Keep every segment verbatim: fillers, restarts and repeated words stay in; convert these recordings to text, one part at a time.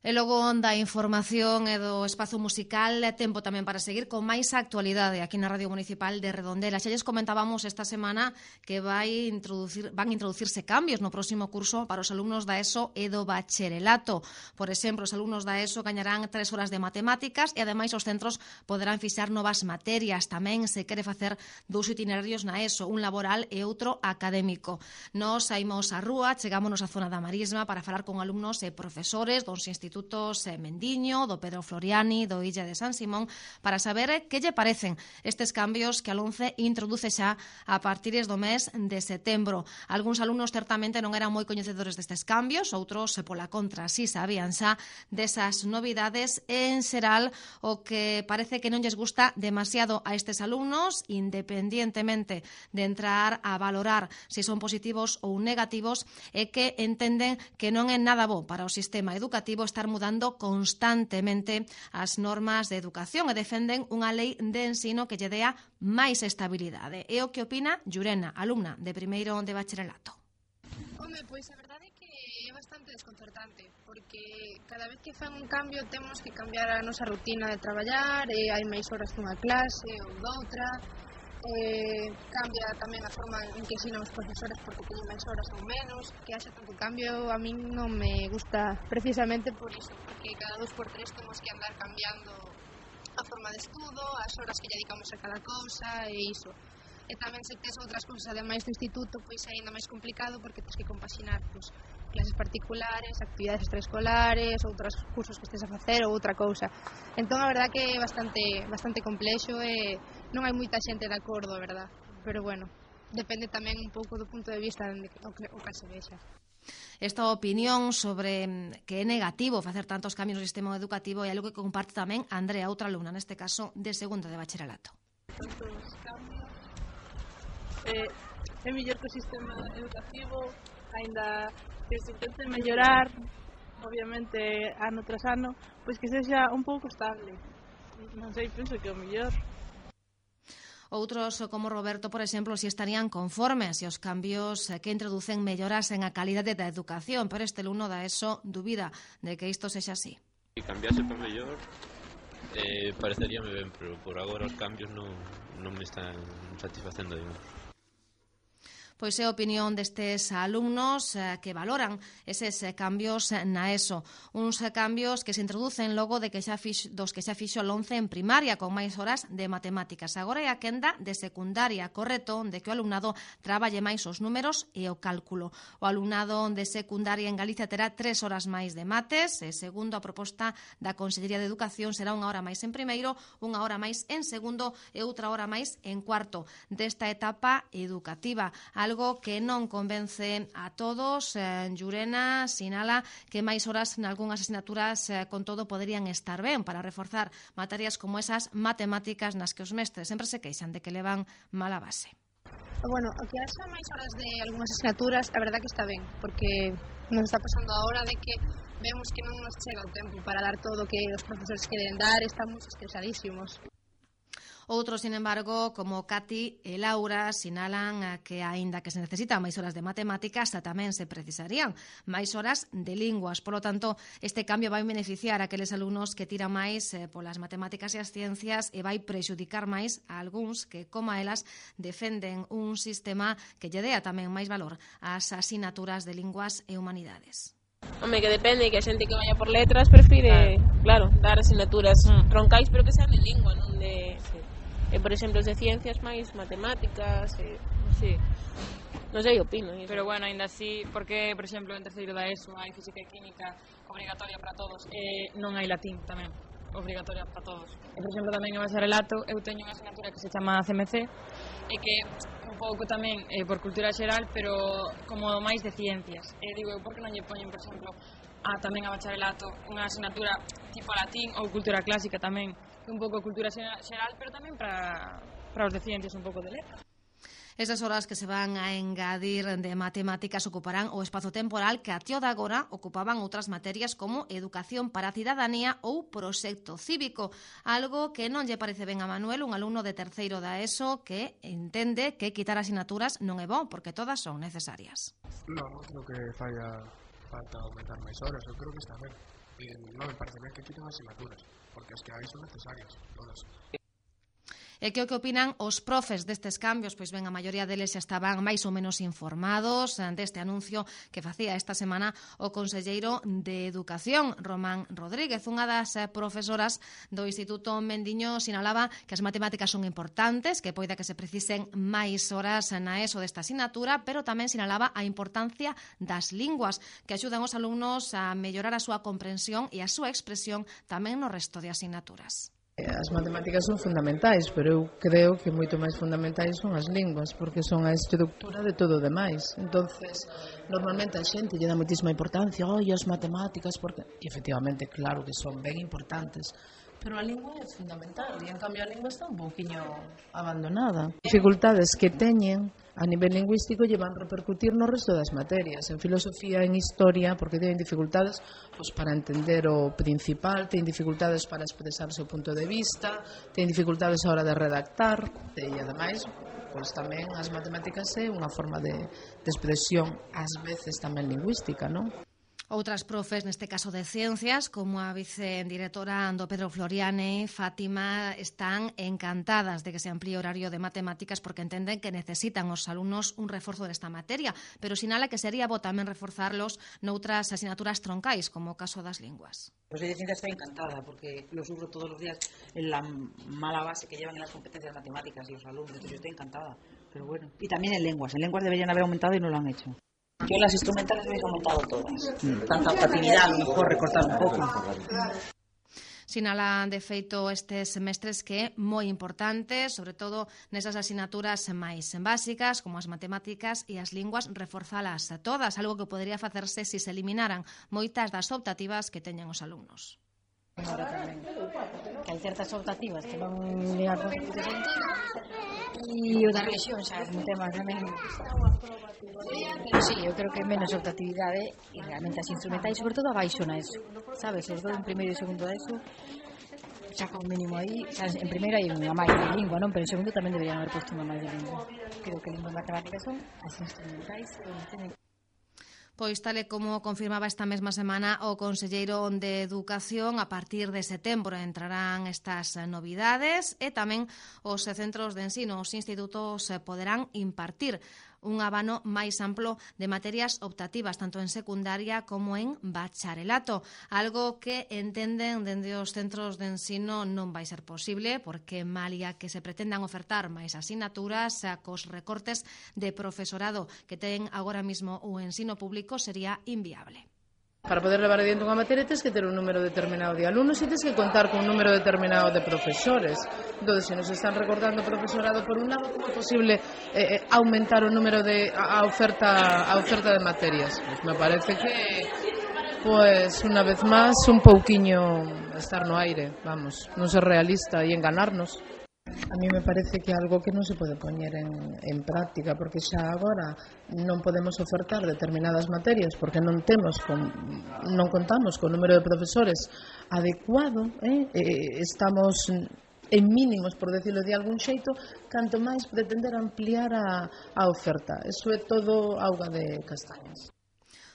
E logo da información e do espazo musical, tempo tamén para seguir con máis actualidade aquí na Radio Municipal de Redondela. Xa lles comentábamos esta semana que vai introducir, van introducirse cambios no próximo curso para os alumnos da ESO e do bacharelato. Por exemplo, os alumnos da ESO gañarán tres horas de matemáticas e ademais os centros poderán fixar novas materias. Tamén se quere facer dous itinerarios na ESO, un laboral e outro académico. Nos saímos á rúa, chegámonos á zona da Marisma para falar con alumnos e profesores dos institutos Mendiño, do Pedro Floriani, do Illa de San Simón, para saber que lle parecen estes cambios que a LOMCE introduce xa a partir do mes de setembro. Algúns alumnos certamente non eran moi coñecedores destes cambios, outros, pola contra, si sabían xa desas novidades. En xeral, o que parece que non lles gusta demasiado a estes alumnos, independientemente de entrar a valorar se son positivos ou negativos, é que entenden que non é nada bo para o sistema educativo estar mudando constantemente as normas de educación e defenden unha lei de ensino que lle dea máis estabilidade. É o que opina Llurena, alumna de primeiro de bacharelato. Home, pois a verdade é que é bastante desconcertante, porque cada vez que fan un cambio temos que cambiar a nosa rutina de traballar, e hai máis horas dunha clase ou doutra, eh, cambia tamén a forma en que ensinan os profesores porque teñen máis horas ou menos. Que haxa tanto cambio a min non me gusta precisamente por iso, porque cada dos por tres temos que andar cambiando a forma de estudo, as horas que lle dedicamos a cada cousa e iso. E tamén se tes outras cousas ademais do instituto, pois é aínda máis complicado porque tens que compaxinar pois, clases particulares, actividades extraescolares, outros cursos que estés a facer ou outra cousa. Entón a verdad que é bastante bastante complexo e non hai moita xente de acordo, a verdad. Pero bueno, depende tamén un pouco do punto de vista onde o que se vexa. Esta opinión sobre que é negativo facer tantos cambios no sistema educativo é algo que comparte tamén Andrea, outra alumna, neste caso de segundo de bacharelato. Tantos cambios, eh, é mellor que o sistema educativo, aínda que se intente mellorar, obviamente, ano tras ano, pois que sexa un pouco estable. Non sei, penso que é o mellor. Outros, como Roberto, por exemplo, si estarían conformes e os cambios que introducen mellorasen a calidade da educación, pero este alumno da ESO dubida de que isto sexa así. Se cambiase para mellor, eh, pareceríame ben, pero por agora os cambios non, non me están satisfacendo, digamos. Pois é a opinión destes alumnos eh, que valoran eses eh, cambios na ESO. Uns eh, cambios que se introducen logo de que xa fix, dos que xa fixo a LOMCE en primaria, con máis horas de matemáticas. Agora é a quenda de secundaria, correcto, onde que o alumnado traballe máis os números e o cálculo. O alumnado de secundaria en Galicia terá tres horas máis de mates, e segundo a proposta da Consellería de Educación será unha hora máis en primeiro, unha hora máis en segundo e outra hora máis en cuarto desta etapa educativa. Algo que non convence a todos. Llurena sinala que máis horas en algunhas asignaturas con todo poderían estar ben para reforzar materias como esas matemáticas nas que os mestres sempre se queixan de que levan mala base. Bueno, o que haxa máis horas de algunhas asignaturas, a verdad que está ben, porque nos está pasando agora de que vemos que non nos chega o tempo para dar todo o que os profesores queren dar, estamos estresadísimos. Outros, sin embargo, como Cati e Laura, sinalan que, aínda que se necesitan máis horas de matemáticas, tamén se precisarían máis horas de linguas. Por lo tanto, este cambio vai beneficiar a aqueles alumnos que tiran máis eh, polas matemáticas e as ciencias e vai prexudicar máis a algúns que, como elas, defenden un sistema que lle dea tamén máis valor ás asignaturas de linguas e humanidades. Home, que depende, que a xente que vaya por letras prefire, claro, claro dar asignaturas mm. troncais, pero que sean de lingua, non de... Sí. E, por exemplo, os de ciencias máis matemáticas, e... sí. Non sei, opino. Eso. Pero bueno, ainda así, porque, por exemplo, en terceiro da ESO hai física e química obrigatoria para todos, e non hai latín tamén obrigatoria para todos. E, por exemplo, tamén en bacharelato, eu teño unha asignatura que se chama C M C, e que un pouco tamén eh, por cultura xeral, pero como máis de ciencias. E digo, eu, por que non lle poñen, por exemplo, a tamén a bacharelato unha asignatura tipo latín ou cultura clásica tamén, un pouco cultura xeral, pero tamén para, para os de ciencias un pouco de letras. Esas horas que se van a engadir de matemáticas ocuparán o espazo temporal que até o de agora ocupaban outras materias como educación para a cidadanía ou proxecto cívico, algo que non lle parece ben a Manuel, un alumno de terceiro da ESO que entende que quitar asignaturas non é bon porque todas son necesarias. Non, creo que falla falta aumentar máis horas, eu creo que está ben. eh, non me parece ben que quiten asignaturas, porque as que hai son necesarias, todas. E que o que opinan os profes destes cambios? Pois ben, a maioría deles xa estaban máis ou menos informados deste anuncio que facía esta semana o conselleiro de Educación, Román Rodríguez. Unha das profesoras do Instituto Mendiño sinalaba que as matemáticas son importantes, que poida que se precisen máis horas na ESO desta asignatura, pero tamén sinalaba a importancia das linguas, que axudan os alumnos a mellorar a súa comprensión e a súa expresión tamén no resto de asignaturas. As matemáticas son fundamentais, pero eu creo que moito máis fundamentais son as linguas, porque son a estructura de todo o demais. Entonces, normalmente a xente lle dá moitísima importancia, oi, as matemáticas, porque, e efectivamente, claro que son ben importantes, pero a lingua é fundamental, e en cambio a lingua está un pouquiño abandonada. Dificultades que teñen a nivel lingüístico lle van repercutir no resto das materias, en filosofía, en historia, porque teñen dificultades pois, para entender o principal, teñen dificultades para expresar o seu punto de vista, teñen dificultades a hora de redactar, e ademais, pois tamén as matemáticas é unha forma de, de expresión, ás veces tamén lingüística, non? Outras profes, neste caso de Ciencias, como a vicedirectora do Pedro Floriane, Fátima, están encantadas de que se amplíe o horario de matemáticas porque entenden que necesitan os alumnos un reforzo desta materia, pero sinala que sería bo tamén reforzarlos noutras asignaturas troncais, como o caso das linguas. Pues de Ciencias estoy encantada porque lo sufro todos los días en la mala base que llevan en las competencias matemáticas los alumnos, entonces yo estoy encantada, pero bueno. Y también en lenguas, en lenguas deberían haber aumentado y no lo han hecho. Yo las instrumentales me he aumentado todas. Mm. Tanta facilidad, a lo mejor recortar un poco. Sinalan, de feito, estes semestres que é moi importante, sobre todo nesas asignaturas máis básicas, como as matemáticas e as linguas, reforzalas a todas, algo que podería facerse se se eliminaran moitas das optativas que teñen os alumnos. Ahora tamén, que hai certas optativas que non ligan con o sentido e o da religión xa é un tema tamén, pero sí, eu creo que menos optatividade e realmente as instrumentais, sobre todo abaixo na ESO, sabes, os dous en primeiro e segundo da ESO xa con mínimo aí, sabes, en primeiro hai unha máis de lingua, non? Pero en segundo tamén deberían haber posto unha máis de lingua. Creo que lingua e matemáticas son as instrumentais onde teñen. Pois tal e como confirmaba esta mesma semana o conselleiro de Educación, a partir de setembro entrarán estas novidades e tamén os centros de ensino, os institutos poderán impartir un abano máis amplo de materias optativas, tanto en secundaria como en bacharelato, algo que entenden dende os centros de ensino non vai ser posible, porque malia que se pretendan ofertar máis asignaturas, cos recortes de profesorado que ten agora mesmo o ensino público sería inviable. Para poder levar adiante unha materia tens que ter un número determinado de alumnos e tens que contar con un número determinado de profesores. Entón, se nos están recortando profesorado por un lado, como é posible eh, aumentar o número de a oferta a oferta de materias? Pues me parece que pues unha vez máis un pouquiño estar no aire, vamos, non ser realista e enganarnos. A mí me parece que é algo que non se pode poñer en, en práctica, porque xa agora non podemos ofertar determinadas materias porque non temos con, non contamos con número de profesores adecuado, eh? Eh, estamos en mínimos, por decirlo de algún xeito, canto máis pretender ampliar a, a oferta. Eso é todo auga de castañas.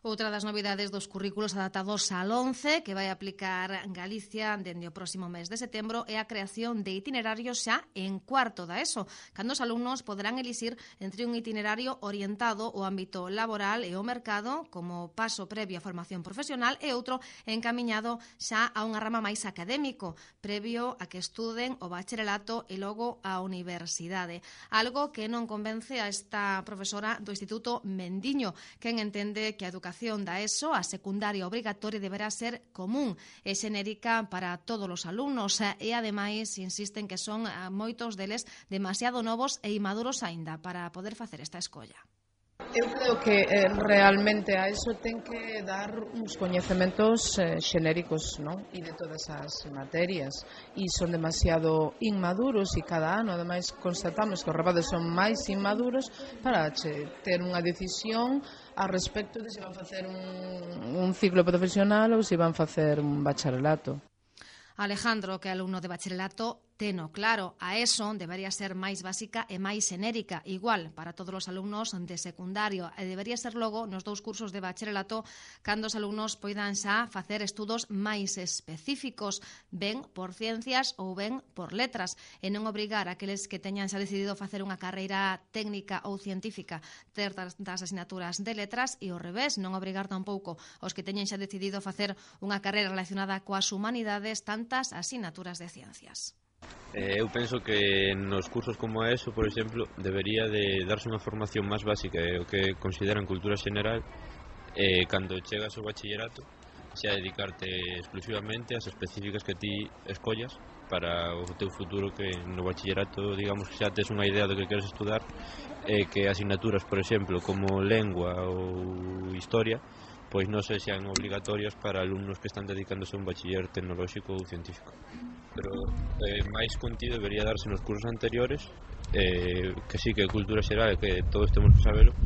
Outra das novidades dos currículos adaptados al once que vai aplicar Galicia dende o próximo mes de setembro é a creación de itinerarios xa en cuarto da ESO, cando os alumnos poderán elixir entre un itinerario orientado ao ámbito laboral e ao mercado como paso previo á formación profesional e outro encamiñado xa a unha rama máis académico, previo a que estuden o bacharelato e logo a universidade. Algo que non convence a esta profesora do Instituto Mendiño, quen entende que a educación da ESO, a secundaria obrigatoria, deberá ser común e xenérica para todos os alumnos e, ademais, insisten que son moitos deles demasiado novos e inmaduros aínda para poder facer esta escolla. Eu creo que eh, realmente a eso ten que dar uns coñecementos eh, xenéricos, non? E de todas as materias, e son demasiado inmaduros e cada ano ademais constatamos que os rapazes son máis inmaduros para che, ter unha decisión a respecto de se van facer un, un ciclo profesional ou se van facer un bacharelato. Alejandro, que é alumno de bacharelato, teno claro. A ESO debería ser máis básica e máis xenérica, igual para todos os alumnos de secundario, e debería ser logo nos dous cursos de bacharelato cando os alumnos poidan xa facer estudos máis específicos, ben por ciencias ou ben por letras, e non obrigar a aqueles que teñan xa decidido facer unha carreira técnica ou científica ter das asignaturas de letras, e ao revés, non obrigar tampouco os que teñen xa decidido facer unha carreira relacionada coas humanidades tantas asignaturas de ciencias. Eh, eu penso que nos cursos como eso, por exemplo, debería de darse unha formación máis básica e o que consideran cultura xeneral, eh, cando chegas ao bachillerato xa dedicarte exclusivamente ás específicas que ti escollas para o teu futuro, que no bachillerato, digamos, que xa tes unha idea do que queres estudar, e eh, que asignaturas, por exemplo, como lengua ou historia, pois non sexan obligatorias para alumnos que están dedicándose a un bachiller tecnolóxico ou científico. Pero eh, máis contido debería darse nos cursos anteriores, eh, que sí que é cultura xeral, que todos temos que sabelo,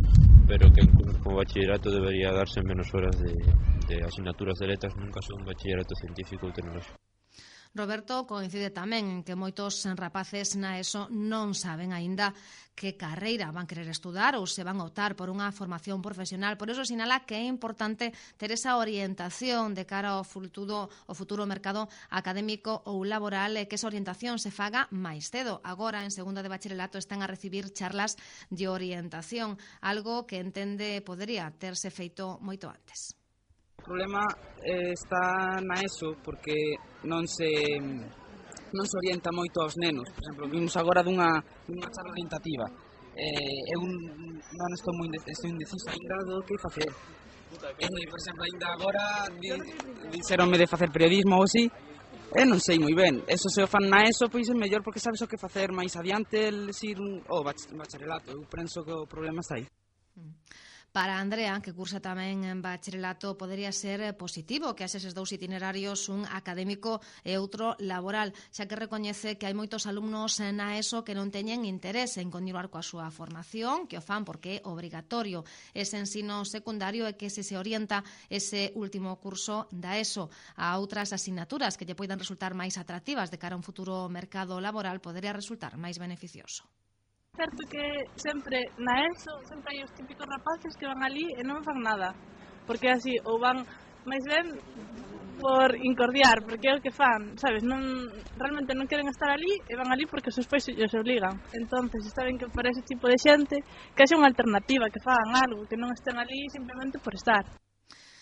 pero que en cursos como bachillerato debería darse menos horas de, de asignaturas de letras, nunca son un bachillerato científico ou tecnolóxico. Roberto coincide tamén en que moitos rapaces na ESO non saben aínda que carreira van querer estudar ou se van optar por unha formación profesional. Por iso sinala que é importante ter esa orientación de cara ao futuro, ao futuro mercado académico ou laboral, e que esa orientación se faga máis cedo. Agora, en segundo de bacharelato, están a recibir charlas de orientación, algo que entende podería terse feito moito antes. O problema eh, está na ESO porque non se non se orienta moito aos nenos. Por exemplo, vimos agora dunha, dunha charla orientativa. Eh, eu non estou moi estou indeciso ainda do que facer. Eh, por exemplo, ainda agora di, dixeronme de facer periodismo ou así, e non sei moi ben. Eso se o fan na ESO, pois é mellor porque sabes o que facer máis adiante el ir o bacharelato. Eu penso que o problema está aí. Para Andrea, que cursa tamén en bacharelato, podería ser positivo que haxe eses dous itinerarios, un académico e outro laboral, xa que recoñece que hai moitos alumnos na ESO que non teñen interés en continuar coa súa formación, que o fan porque é obrigatorio ese ensino secundario, e que se se orienta ese último curso da ESO a outras asignaturas que lle poidan resultar máis atractivas de cara a un futuro mercado laboral, podería resultar máis beneficioso. Certo que sempre na ESO sempre hai os típicos rapaces que van ali e non fan nada, porque así ou van máis ben por incordiar, porque é o que fan, sabes, non realmente non queren estar ali e van ali porque os seus pais os obligan. Entonces está ben que para ese tipo de xente que haxe unha alternativa, que fagan algo, que non estén ali simplemente por estar.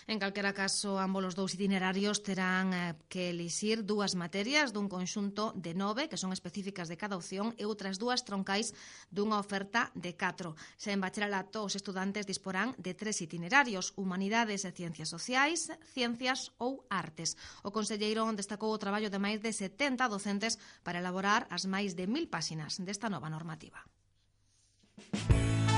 En calquera caso, ambos os dous itinerarios terán eh, que elixir dúas materias dun conxunto de nove, que son específicas de cada opción, e outras dúas troncais dunha oferta de catro. Xa en bacharelato, os estudantes disporán de tres itinerarios: humanidades e ciencias sociais, ciencias ou artes. O conselleiro destacou o traballo de máis de setenta docentes para elaborar as máis de mil páxinas desta nova normativa.